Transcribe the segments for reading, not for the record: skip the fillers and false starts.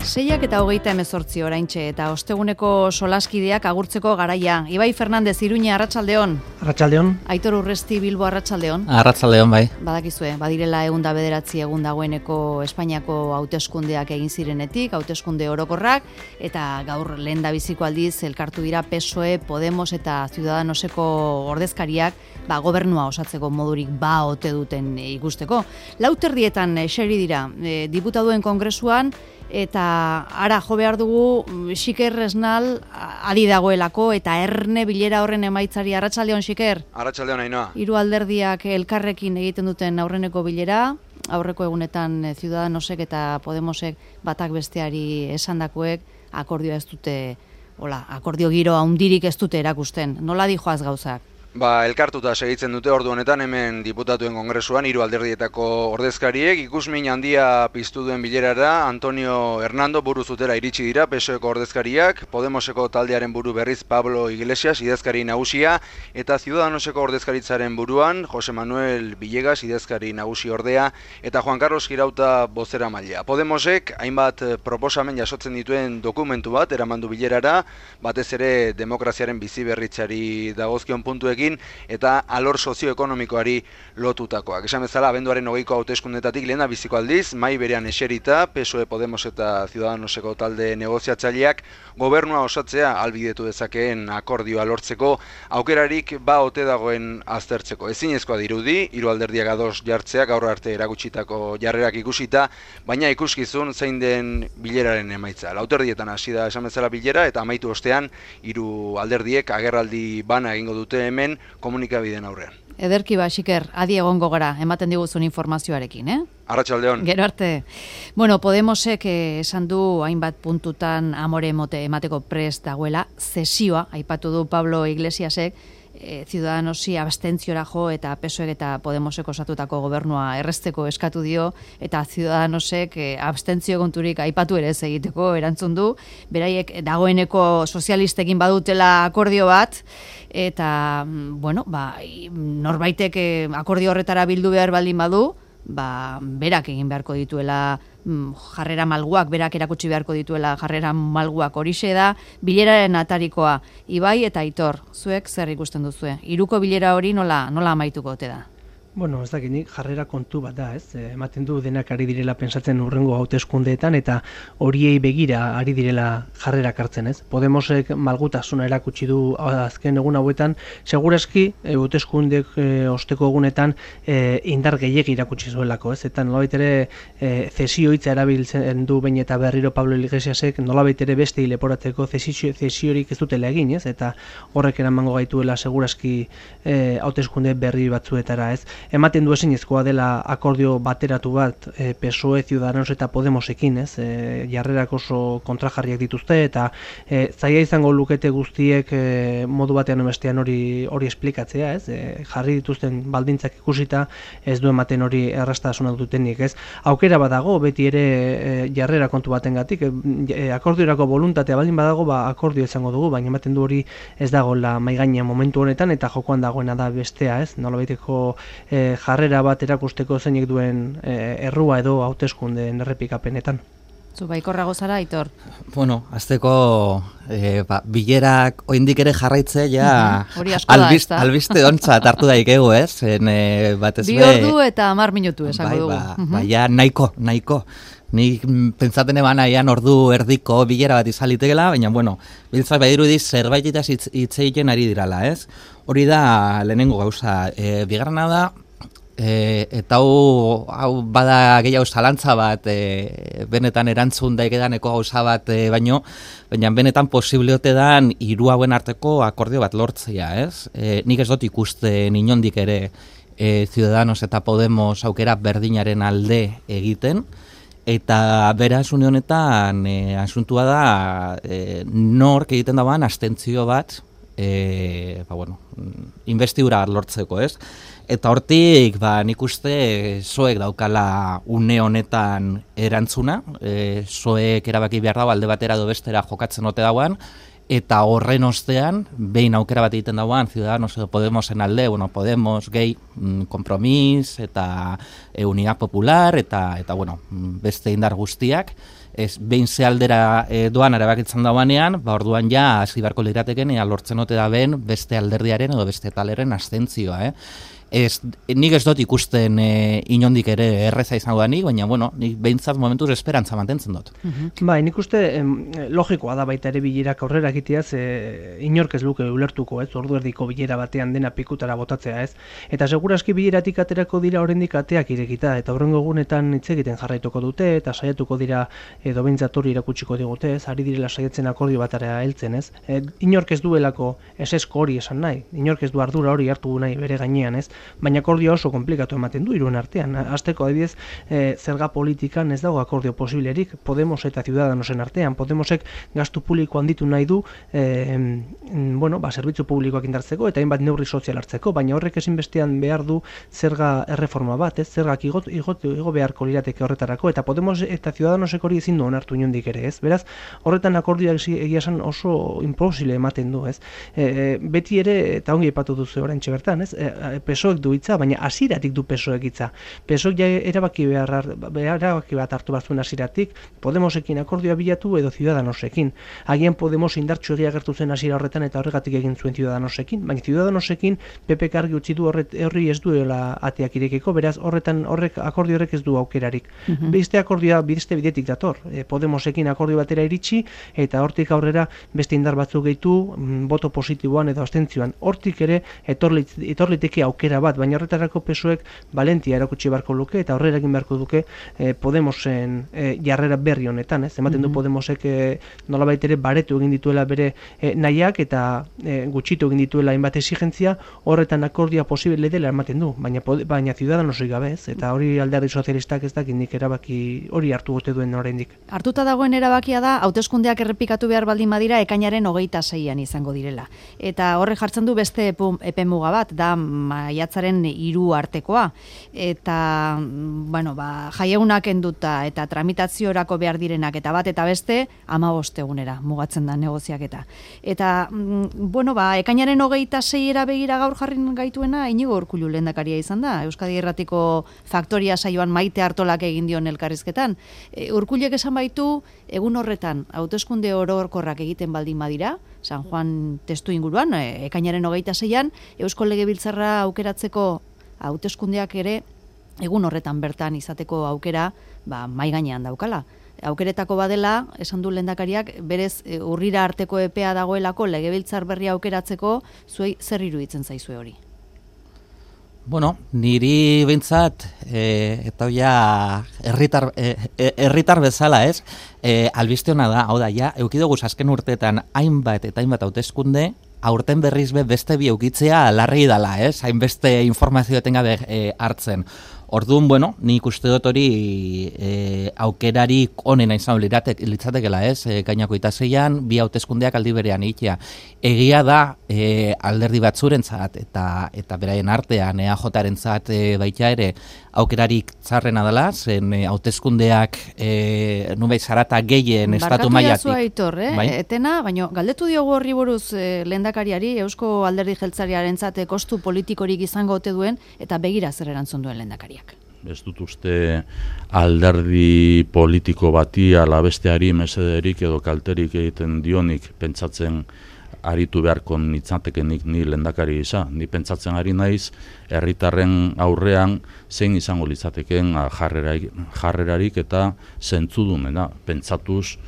6:28 oraintxe eta osteguneko solaskideak agurtzeko garaia. Ibai Fernandez, Iruña, arratsaldeon. Arratsaldeon. Aitor Urresti, Bilbo, arratsaldeon. Arratsaldeon, bai. Badakizue, badirela 109 egun dagoeneko Espainiako hauteskundeak egin zirenetik, hauteskunde orokorrak, eta gaur lehendabiziko aldiz elkartu dira PSOE, Podemos eta Ciudadanoseko ordezkariak gobernua osatzeko modurik ote duten ikusteko. 4:00 eseri dira diputaduen kongresuan, eta ara jo behar dugu Xiker Esnal adi dagoelako eta erne bilera horren emaitzari. Arratsaldeon, Xiker. Arratsaldeon, Ainhoa. Hiru alderdiak elkarrekin egiten duten aurreneko bilera, aurreko egunetan Ciudadanosek eta Podemosek batak besteari esandakoek akordioa ez dute, akordio giro handirik ez dute erakusten. Nola dijoaz gauzak? Elkartuta segitzen dute ordu honetan hemen diputatuen kongresuan hiru alderdietako ordezkariek ikusmin handia piztu duen bilerara. Antonio Hernando buru zutera iritsi dira PSOEko ordezkariak, Podemoseko taldearen buru berriz Pablo Iglesias idazkari nagusia eta Ciudadanoseko ordezkaritzaren buruan Jose Manuel Villegas idazkari nagusi ordea eta Juan Carlos Girauta bozeramailea. Podemosek hainbat proposamen jasotzen dituen dokumentu bat eramandu bilerara, batez ere demokraziaren biziberritzari dagozkion puntuek eta alor sozioekonomikoari lotutakoak. Esan bezala, abenduaren 20ko hauteskundetatik lehendabiziko aldiz, mahai berean eserita, PSOE, Podemos eta Ciudadanoseko talde negoziatzaileak gobernua osatzea ahalbidetu dezakeen akordioa lortzeko aukerarik ote dagoen aztertzeko. Ezinezkoa dirudi, hiru alderdiak ados jartzea gaur arte erakutsitako jarrerak ikusita, baina ikuskizun zein den bileraren emaitza. 4:00 hasi da esan bezala bilera eta amaitu ostean hiru alderdiek agerraldi bana egingo dute hemen komunikabideen aurrean. Ederki Xiker, adi egongo gara, ematen diguzun informazioarekin, Arratsaldeon. Gero arte. Podemosek esan du hainbat puntutan amore emateko prest dagoela, zesioa, aipatu du Pablo Iglesiasek, Ciudadanosi abstentziora jo eta PSOEk eta Podemosek osatutako gobernua erresteko eskatu dio eta Ciudadanosek abstentzio konturik aipatu ere ez egiteko erantzun du. Beraiek dagoeneko sozialistekin badutela akordio bat eta norbaitek akordio horretara bildu behar baldin badu, berak egin beharko dituela jarrera malguak, berak erakutsi beharko dituela jarrera malguak. Horixe da bileraren atarikoa. Ibai eta Aitor, zuek zer ikusten duzue? Hiruko bilera hori nola amaituko ote da? Ez dakinik jarrera kontu bat da, ematen du denak ari direla pensatzen urrengo hauteskundeetan eta horiei begira ari direla jarrerak hartzen, Podemosek malgutasuna erakutsi du azken egun hauetan, segurazki hauteskundek osteko egunetan indar gehiegi erakutsi zuelako, eta nolabait ere zesio hitza erabiltzen du behin eta berriro Pablo Iglesiasek, nolabait ere beste leporatzeko zesiorik ez dutela egin, eta horrek eramango gaituela segurazki hauteskunde berri batzuetara, Ematen du ezinezkoa dela akordio bateratu bat PSOE, Ciudadanos eta Podemosekin, jarrerak oso kontrajarriak dituzte eta zaila izango lukete guztiek modu batean bestean hori esplikatzea, jarri dituzten baldintzak ikusita ez du ematen hori erraztasuna dutenik, Aukera badago beti ere jarrera kontu batengatik, akordiorako voluntatea baldin badago, akordio izango dugu, baina ematen du hori ez dagoela mahai gainean momentu honetan eta jokoan dagoena da bestea, nolabaiteko jarrera bat erakusteko zeinek duen errua edo hauteskundeen errepikapenetan. Zu baikorrago zara, Aitor? Azteko bilerak oraindik ere jarraitzea albiste ontzat hartu daikegu, Bi ordu eta 10 minutu esango dugu. Baina nahiko. Nik pentsaten eban aian ordu erdiko bilera bat izalitekela, baina, biltzak badirudiz zerbaititaz hitz egiten ari dirala, Hori da lehenengo gauza. Bigarrena da, eta hau bada gehiago zalantza bat, benetan erantzun daikedaneko gauza bat baina benetan posibliote dan hiru hauen arteko akordio bat lortzea, Nik ez dut ikusten inondik ere Ciudadanos eta Podemos aukera berdinaren alde egiten, eta beraz une honetan asuntua da nork egiten dagoen abstentzio bat investidura lortzeko, Eta hortik, nik uste PSOEk daukala une honetan erantzuna, PSOEk erabaki behar dago alde batera edo bestera jokatzen ote dagoen, eta horren ostean, behin aukera bat egiten dagoen, Ciudadanos edo Podemosen alde, Podemos, gehi, Compromís, eta Unidad Popular, eta beste indar guztiak, behin ze aldera doan erabakitzen dauanean, orduan ja hasi beharko lirateken lortzen ote da ben beste alderdiaren edo beste taleren abstentzioa, nik ez dut ikusten inondik ere erreza izango da nik, baina nik behintzat momentuz esperantza mantentzen dut. Bai, nik uste logikoa da baita ere bilerak aurrera egiteaz, inork ez luke ulertuko, ordu erdiko bilera batean dena pikutara botatzea, eta seguraski bileratik aterako dira oraindik ateak irekita, eta horrengo egunetan hitz egiten jarraituko dute, eta saiatuko dira edo behintzat hori irakutsiko digute, ari direla saiatzen akordio batara heltzen, inork ez duelako esesko hori esan nahi, inork ez du ardura hori hartu nahi bere gainean, baina akordioa oso komplikatu ematen du hiruen artean. Hasteko adibidez, zerga politikan ez dago akordio posiblerik, Podemos eta Ciudadanosen artean. Podemosek gastu publiko handitu nahi du, zerbitzu publikoak indartzeko eta hainbat neurri sozial hartzeko, baina horrek ezinbestean behar du zerga erreforma bat, zergak igo beharko lirateke horretarako, eta Podemos eta Ciudadanosek hori ezin du onartu inondik ere, Beraz, horretan akordioak egia esan oso imposible ematen du, Beti ere, eta ongi aipatu duzu oraintxe bertan, PSOEk du hitza, baina hasieratik du PSOEk hitza. PSOEk ja erabaki bat hartu bat zuen hasieratik, Podemosekin akordioa bilatu edo Ciudadanosekin. Agian Podemos indartsu egia agertu zen hasiera horretan eta horregatik egin zuen Ciudadanosekin, baina Ciudadanosekin PPk argi utzi du horri ez duela ateak irekiko, beraz akordio horrek ez du aukerarik. Beste akordioa beste bidetik dator. Podemosekin akordio batera iritsi eta hortik aurrera beste indar batzuk gehitu boto positiboan edo abstentzioan. Hortik ere etorliteke aukera bat, baina horretarako PSOEk valentia erakutsi beharko luke eta horrela egin beharko duke Podemosen jarrera berri honetan, ematen du Podemosek nolabait ere baretu egin dituela bere nahiak eta gutxitu egin dituela hainbat exigentzia, horretan akordioa posible dela ematen du, baina Ciudadanosek gabe, eta hori alderdi sozialistak ez dakit nik erabaki hori hartu gote duen oraindik. Hartuta dagoen erabakia da hauteskundeak errepikatu behar baldin badira ekainaren 26an izango direla. Eta horre jartzen du beste epemuga bat, da maiatzaren 3 artekoa. Eta, jaiegunak enduta eta tramitaziorako behar direnak eta bat eta beste 15 egunera mugatzen da negoziaketa. Eta, ekainaren 26era begira gaur jarrin gaituena Iñigo Urkullu lehendakaria izan da. Euskadi Irratiko Faktoria saioan Maite Artolak egin dion elkarrizketan. Urkullek esan baitu, egun horretan hauteskunde orokorrak egiten baldin badira, San Juan testu inguruan, ekainaren 26an, Eusko Legebiltzarra aukeratzeko hauteskundeak ere egun horretan bertan izateko aukera mahai gainean daukala. Aukeretako badela, esan du lehendakariak, berez urrira arteko epea dagoelako Legebiltzar berria aukeratzeko, zuei zer iruditzen zaizue hori? Niri behintzat, eta ja herritar bezala, albiste hona da, hau da, eukidoguz azken urteetan hainbat eta hainbat hauteskunde, aurten berriz beste bi eukitzea larri dala, hainbeste informazio etengabe hartzen. Orduan, nik uste dut hori aukerarik onena izan litzatekela, gainako itaseian, bi hauteskundeak aldi berean egitea. Egia da alderdi batzurentzat eta beraien artean EAJarentzat baita ere aukerarik txarrena dela, zen hauteskundeak nubait zarata gehien estatu mailatik. Barkatu Aitor, etena, baina galdetu diogu horri buruz lehendakariari, Eusko Alderdi Jeltzalearentzat kostu politikorik izango ote duen eta begira zer erantzun duen lehendakariak. Ez dut uste alderdi politiko bati ala besteari mesederik edo kalterik egiten dionik pentsatzen aritu beharko nitzatekenik ni lehendakari gisa. Ni pentsatzen ari naiz herritarren aurrean zein izango litzateken jarrerarik eta zentzudunena. Pentsatuz,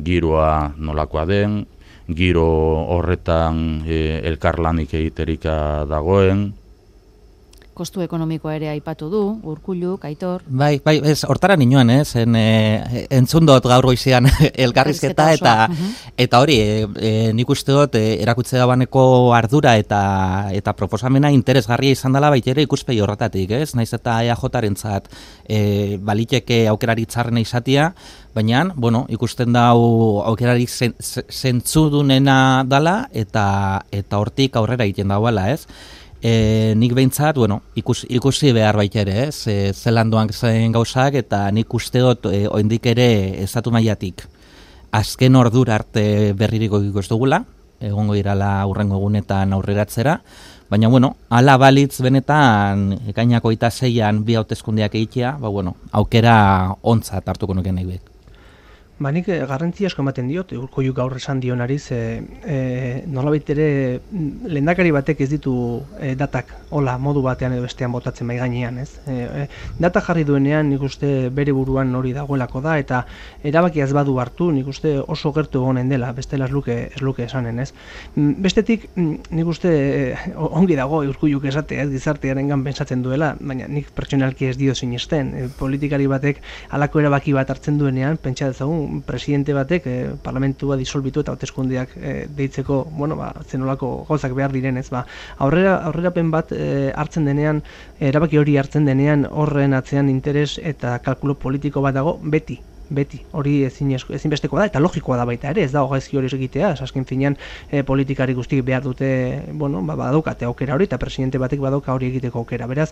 giroa nolakoa den, giro horretan elkarlanik egiterika dagoen, kostu ekonomikoa ere aipatu du, Urkullu, Aitor. Bai, hortara ninoan, entzun dut gaur goizean elkarrizketa eta hori, nik uste dut erakutze dabaneko ardura eta proposamena interesgarria izan dela baita ere ikuspegi horretatik, naiz eta EAJarentzat baliteke aukerari txarrena izatea, baina, ikusten dau aukerarik zentzudunena dala eta hortik aurrera egiten dauela, nik behintzat, ikusi behar baita ere, zelan doan zen gauzak, eta nik uste dut oindik ere estatu mailatik azken ordura arte berririko ez dugula, egongo irala hurrengo egunetan aurreratzera, baina, ala balitz benetan ekainako 26an bi hauteskundeak egitea, aukera ontzat hartuko nuke nahi bek. Nik garrantzia asko ematen diot, Urkoiuk gaur esan dionari, nolabait ere lehendakari batek ez ditu datak hola modu batean edo bestean botatzen bai gainean, ez? Data jarri duenean nik uste bere buruan hori dagoelako da, eta erabakia ez badu hartu nik uste oso gertu egonen dela, bestela ez luke esanen, ez? Bestetik nik uste ongi dago Urkoiuk esate, ez, gizartearengan pentsatzen duela, baina nik pertsonalki ez dio sinesten, politikari batek halako erabaki bat hartzen duenean, pentsa dezagun presidente batek parlamentua disolbitu eta hauteskundeak deitzeko, zenolako gauzak behar direnez, aurrerapen bat hartzen denean, erabaki hori hartzen denean, horren atzean interes eta kalkulo politiko bat dago beti, hori ezinbesteko da, eta logikoa da baita ere, ez da gaizki hori egitea, azken finean politikari guztiek behar dute, badaukate aukera hori, eta presidente batek badauka hori egiteko aukera, beraz,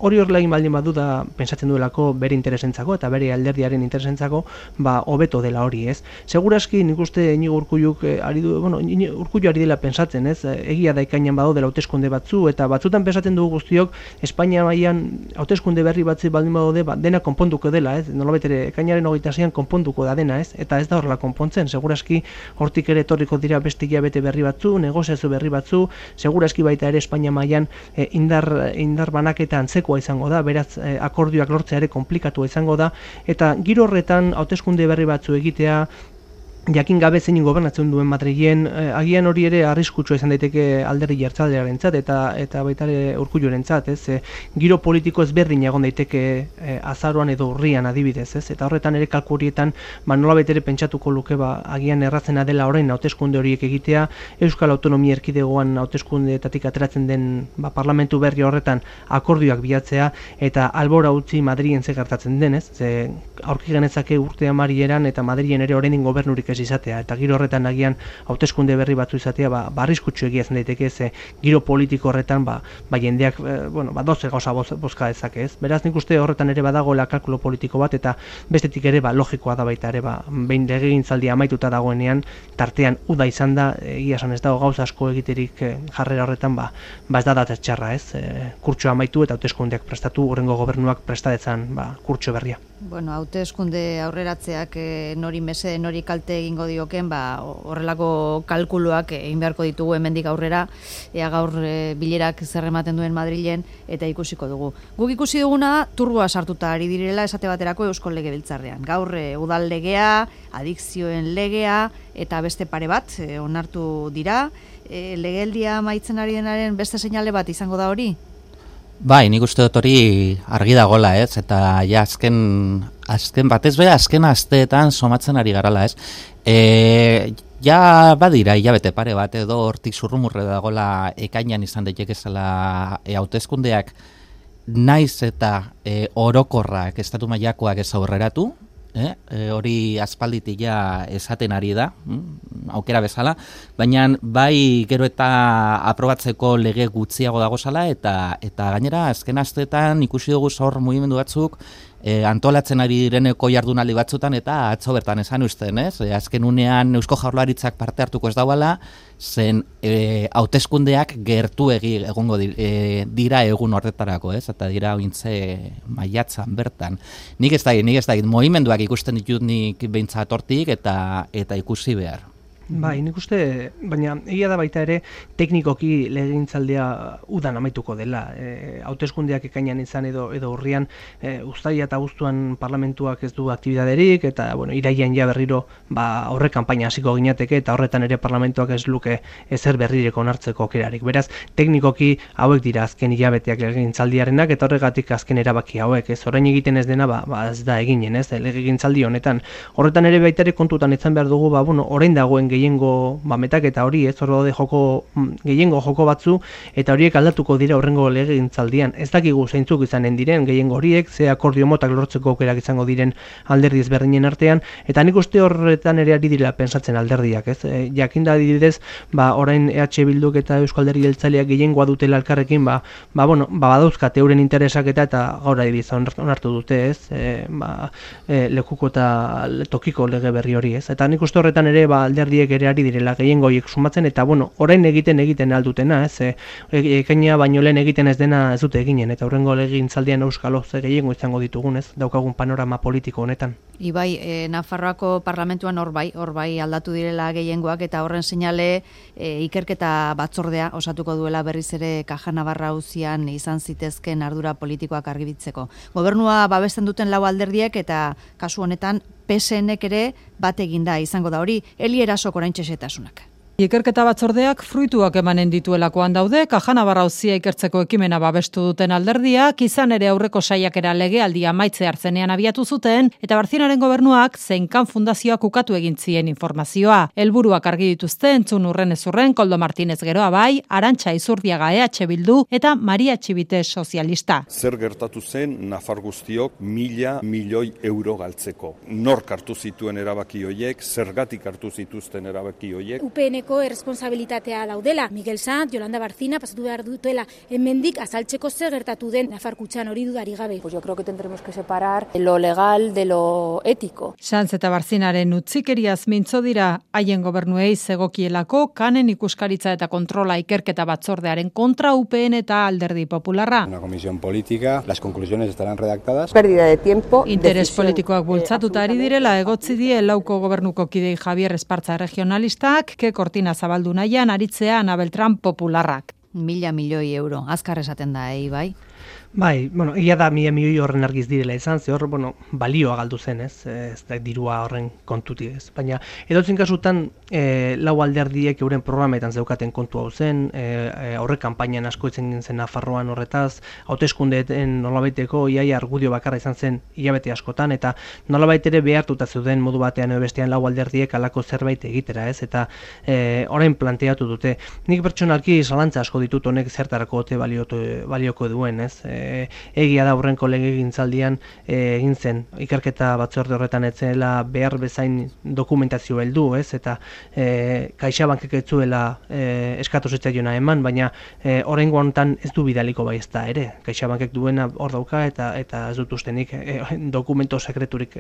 hori horrela egin baldin badu da, pentsatzen duelako bere interesentzako, eta bere alderdiaren interesentzako, hobeto dela hori, ez? Seguraski, nik uste Iñigo Urkulluk Urkullu ari dela pentsatzen, ez? Egia da ikainan badu dela hauteskunde batzu, eta batzutan pentsatzen dugu guztiok, Espainia mailan hauteskunde berri batzi baldin badu dena konponduko dela, ez? Nolabait ere, ekainaren 26an konponduko da dena, ez? Eta ez da horrela konpontzen, seguraski hortik ere etorriko dira beste hilabete berri batzu, negoziazio berri batzu, seguraski baita ere Espainia mailan indar banaketa antzekoa izango da, beraz akordioak lortzea ere konplikatua izango da, eta giro horretan hauteskunde berri batzu egitea, jakin gabe zein gobernatzen duen Madrilen, agian hori ere arriskutsua izan daiteke alderdi jeltzalearentzat eta baita ere Urkullurentzat, ez? Giro politiko ezberdin egon daiteke azaroan edo urrian adibidez, ez? Eta horretan ere kalku horietan nolabait ere pentsatuko luke agian erratzena dela orain hauteskunde horiek egitea, Euskal Autonomia Erkidegoan hauteskundeetatik ateratzen den parlamentu berri horretan akordioak bilatzea eta albora utzi Madrilen ze gertatzen denez, ze aurki genezake urte amarieran eta Madrilen ere orain gobernurik ez izatea, eta giro horretan agian hauteskunde berri batzu izatea, arriskutsu egia zen daiteke, ze giro politiko horretan jendeak, doze gauza bozka dezake, ez? Beraz nik uste horretan ere badagoela kalkulo politiko bat, eta bestetik ere logikoa da baita ere, behin legegintzaldia amaituta dagoenean, tartean uda izan da, egia esan ez dago gauza asko egiterik jarrera horretan, ez da data txarra, ez? Kurtsoa amaitu eta hauteskundeak prestatu, hurrengo gobernuak prestadetzan kurtso berria. Hauteskunde aurreratzeak nori mesede, nori kalte egingo dioken, horrelako kalkuluak egin beharko ditugu hemendik aurrera, ea gaur bilerak zer ematen duen Madrilen, eta ikusiko dugu. Guk ikusi duguna turboa sartuta ari direla esate baterako Eusko Legebiltzarrean. Gaur udal legea, adikzioen legea, eta beste pare bat onartu dira. Legealdia amaitzen ari denaren beste seinale bat izango da hori? Bai, nik uste dut hori argi dagoela, ez? Eta ja azken batez be, azken asteetan somatzen ari garala, ez? Ja badira, hilabete pare bat edo hortik zurrumurre dagoela ekainan izan daitekezela hauteskundeak naiz eta orokorrak estatu mailakoak ez aurreratu, hori aspalditik ja esaten ari da, aukera bezala, baina bai gero eta aprobatzeko lege gutxiago dagozala, eta gainera azken asteetan ikusi dugu hor mugimendu batzuk antolatzen ari direneko jardunaldi batzutan, eta atzo bertan esan usten, ez? Azken unean Eusko Jaurlaritzak parte hartuko ez dauala, zen hauteskundeak gertuegi egongo dira egun horretarako, ez? Eta dira ointze maiatzan bertan. Nik ez dakit, mugimenduak ikusten ditut nik behintzat hortik eta ikusi behar. Bai, nik uste, baina egia da baita ere teknikoki legegintzaldia udan amaituko dela. Hauteskundeak ekainan izan edo urrian, uztaila eta abuztuan parlamentuak ez du aktibidaderik, eta irailean ja berriro horre kanpaina hasiko ginateke, eta horretan ere parlamentuak ez luke ezer berrireko onartzeko aukerarik. Beraz, teknikoki hauek dira azken hilabeteak legegintzaldiarenak, eta horregatik azken erabaki hauek, ez orain egiten ez dena, ez da eginen, ez legegintzaldi honetan. Horretan ere baita ere kontutan izan behar dugu, orain dagoen gehiengo metaketa hori, ez hor daude gehiengo joko batzu, eta horiek aldatuko dira horrengo legegintzaldian. Ez dakigu zeintzuk izanen diren gehiengo horiek, ze akordio motak lortzeko aukerak izango diren alderdi ezberdinen artean, eta nik uste horretan ere ari direla pensatzen alderdiak, ez? Jakinda adibidez, orain EH Bilduk eta Eusko Alderdi Jeltzaleak gehiengoa dutela elkarrekin, badauzkate euren interesak eta gaur adibidez onartu dute, ez? Lekuko eta tokiko lege berri hori, ez? Eta nik uste horretan ere alderdiek horiek ere ari direla gehiengo horiek sumatzen, eta bueno, orain egiten aldutena, ez, ekaina baino lehen egiten ez dena ez dute eginen, eta hurrengo legegintzaldian euskalo ze gehiengo izango ditugun, ez, daukagun panorama politiko honetan. Ibai, Nafarroako parlamentuan hor bai aldatu direla gehiengoak, eta horren seinale ikerketa batzordea osatuko duela berriz ere Caja Navarra auzian izan zitezken ardura politikoak argibitzeko. Gobernua babesten duten 4 alderdiek eta kasu honetan PSNek ere bat eginda izango da hori. Eli Erasok oraintxe xehetasunak. Ikerketa batzordeak fruituak emanen dituelakoan daude, Caja Navarra auzia ikertzeko ekimena babestu duten alderdiak, izan ere aurreko saiakera legealdia amaitze hartzenean abiatu zuten, eta Barzinaren gobernuak Zeinkan Fundazioak ukatu egin zien informazioa. Helburuak argi dituzte entzun urren ezurren Koldo Martínez Geroa bai, Arantxa Izurdiaga EH Bildu eta Maria Txibite sozialista. Zer gertatu zen Nafar guztiok 1.000 milioi euro galtzeko. Nork hartu zituen erabaki hoiek, zergatik hartu zituzten erabaki hoiek. UPNeko erresponsabilitatea daudela. Miguel Sanz, Yolanda Barcina pasatu behar dutela hemendik azaltzeko zer gertatu den Nafar kutxan hori dudari gabe. Pues yo creo que tendremos que separar lo legal de lo ético. Sanz eta Barzinaren utzikeriaz mintzo dira haien gobernuei zegokielako kanen ikuskaritza eta kontrola ikerketa batzordearen kontra UPN eta Alderdi Popularra. Una comisión política, las conclusiones estarán redactadas. Pérdida de tiempo. Interes politikoak bultzatuta ari direla egotzi die lauko gobernuko kidei Javier Espartza regionalistak, ke kortina zabaldu nahian aritzea Ana Beltrán Popularrak. 1.000 milioi euro, azkar esaten da, bai? Bai, bueno, ia da 1.000 milioi horren argiz direla izan, ze hor, bueno, balioa galdu zen, ez da dirua horren kontuti ez. Baina, edotzen kasutan, 4 alderdiek euren programetan zeukaten kontu hau zen, aurre kanpainan asko itzen zen Nafarroan horretaz, hauteskundeetan nolabaiteko iaia argudio bakarra izan zen hilabete askotan, eta nolabait ere behartuta zeuden modu batean edo bestean 4 alderdiek halako zerbait egitera, ez, eta orain planteatu dute. Nik pertsonalki zalantza asko ditut honek zertarako ote balioko duen, ez. Egia da aurrenko legegintzaldian egin zen ikerketa batzorde horretan etzela behar bezain dokumentazio heldu, ez, eta CaixaBankek ez zuela eskatu zitzaiona eman, baina oraingo honetan ez du bidaliko bai ez da ere. CaixaBankek duena hor dauka eta ez dut ustenik dokumento sekreturik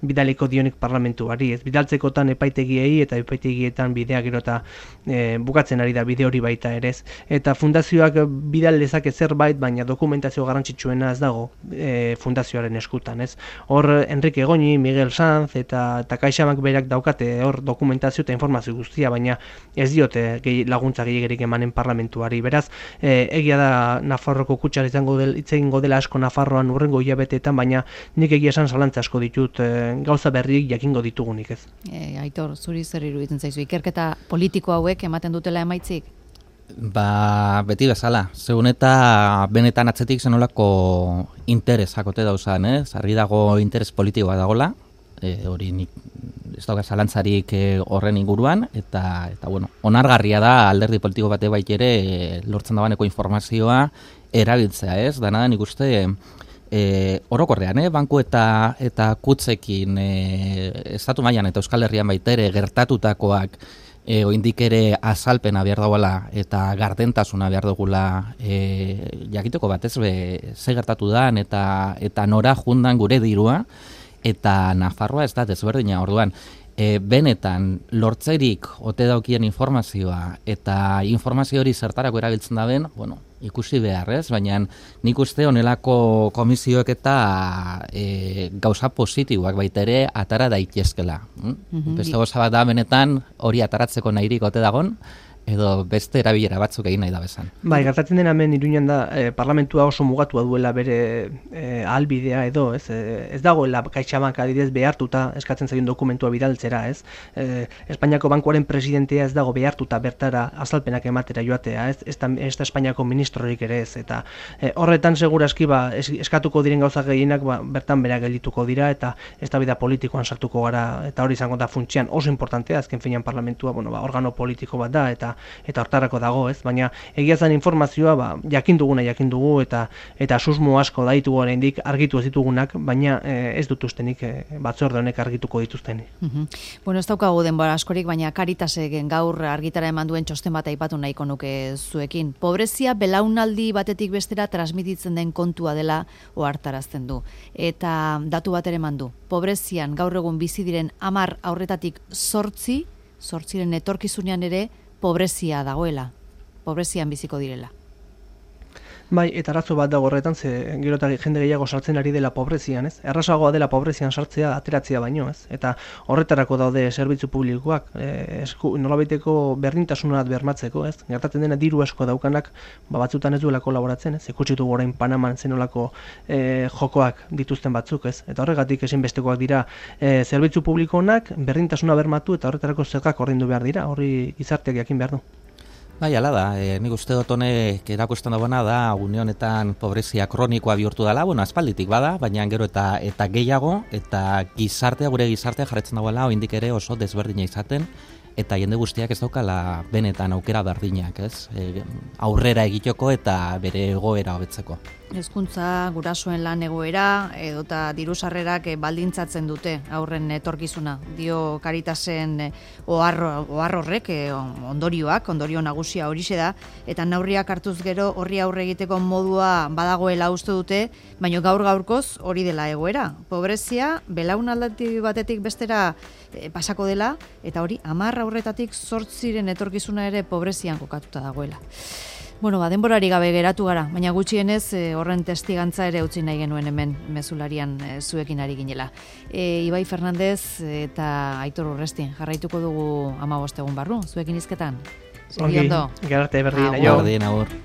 bidaliko dionik parlamentuari, ez, bidaltzekotan epaitegiei eta epaitegietan bidea gero eta bukatzen ari da bide hori baita ere, ez, eta fundazioak bidal dezake zerbait, baina dokumentazio garrantzitsuena ez dago fundazioaren eskutan, ez. Hor Enrique Goñi, Miguel Sanz eta CaixaBank berak daukate hor dokumentazio eta informazio guztia, baina ez diote laguntza gehiegirik emanen parlamentuari. Beraz, egia da Nafarroko kutxar itzengo dela asko Nafarroan urrengo hilabeteetan, baina nik egia esan zalantza asko ditut gauza berriak jakingo ditugunik, ez. Aitor, zuri zer iruditzen zaizu, ikerketa politiko hauek ematen dutela emaitzik? Ba, beti bezala, segun eta benetan atzetik zenolako interesakote dauzan, argi dago interes politikoa dagola, hori nik ez dauka zalantzarik horren inguruan, eta bueno, onargarria da alderdi politiko bate bait ere lortzen dagoeneko informazioa erabiltzea, ez? Dana nik uste orokorrean, banku eta kutzekin estatu mailan eta Euskal Herrian baitere gertatutakoak oindik ere azalpena behar dagoela eta gardentasuna behar dugula jakiteko batez ze gertatu dan eta nora jundan gure dirua, eta Nafarroa ez da desberdina. Orduan, benetan lortzerik ote daukien informazioa eta informazio hori zertarako erabiltzen da ben, bueno, ikusi beharrez, baina nik uste honelako komisioek eta gauza positiboak baita ere atara daitezkela. Beste gauza bat da benetan hori ataratzeko nahirik ote dagon, edo beste erabilera batzuk egin nahi da bezan. Bai, gertatzen den hemen Iruñan da parlamentua oso mugatua duela bere ahalbidea edo, ez dagoela CaixaBank adidez behartuta eskatzen zaion dokumentua bidaltzera, ez? Espainiako bankuaren presidentea ez dago behartuta bertara azalpenak ematera joatea, ez da Espainiako ministrorik ere ez, eta horretan segurazki eskatuko diren gauza gehienak bertan bera geldituko dira eta eztabaida politikoan sartuko gara, eta hori izango da funtsian oso importantea, azken finean parlamentua, organo politiko bat da eta hortarako dago, ez? Baina egia zen informazioa jakin dugu eta susmo asko daitu oraindik argitu ez ditugunak, baina ez dut ustenik batzorde honek argituko dituztenik. Bueno, ez daukagu denbora askorik, baina Caritasek gaur argitara eman duen txosten bat aipatu nahiko nuke zuekin. Pobrezia belaunaldi batetik bestera transmititzen den kontua dela ohartarazten du. Eta datu bat ere eman du. Pobrezian gaur egun bizi diren 10 haurretatik 8 zortziren etorkizunean ere pobrezia dagoela, pobrezian biziko direla. Bai, eta arazo bat dago horretan, ze gero eta jende gehiago sartzen ari dela pobrezian, ez? Errazagoa dela pobrezian sartzea ateratzea baino, ez? Eta horretarako daude zerbitzu publikoak, nolabaiteko berdintasunat bermatzeko, ez? Gertatzen dena diru asko daukanak, batzutan ez duela kolaboratzen, ez? Ikutsitu orain Panaman zenolako jokoak dituzten batzuk, ez? Eta horregatik ezinbestekoak dira zerbitzu publikoak berdintasuna bermatu eta horretarako zergak ordaindu behar dira, horri gizarteak jakin behar du. Bai, ala da, nik uste dut honek erakusten dagoena da, une honetan pobrezia kronikoa bihurtu dela, aspalditik bada, baina gero eta gehiago, eta gure gizartea jarretzen dagoela, oraindik ere oso desberdina izaten, eta jende guztiak ez daukala benetan aukera berdinak, ez? Aurrera egiteko eta bere egoera hobetzeko. Hezkuntza, gurasoen lan egoera edota diru sarrerak baldintzatzen dute aurren etorkizuna. Dio Caritasen ohar horrek ondorio nagusia horixe da eta neurriak hartuz gero horri aurre egiteko modua badagoela uste dute, baina gaur-gaurkoz hori dela egoera. Pobrezia belaunaldi batetik bestera pasako dela eta hori 10 aurretatik 8 etorkizuna ere pobrezian kokatuta dagoela. Bueno, denborari gabe geratu gara, baina gutxienez horren testigantza ere utzi nahi genuen hemen mezularian zuekin ari ginela. Ibai Fernandez eta Aitor Urrestin jarraituko dugu 15 egun barru, zuekin hizketan. Ongi, gerarte berdin, aio. Berdin, agur.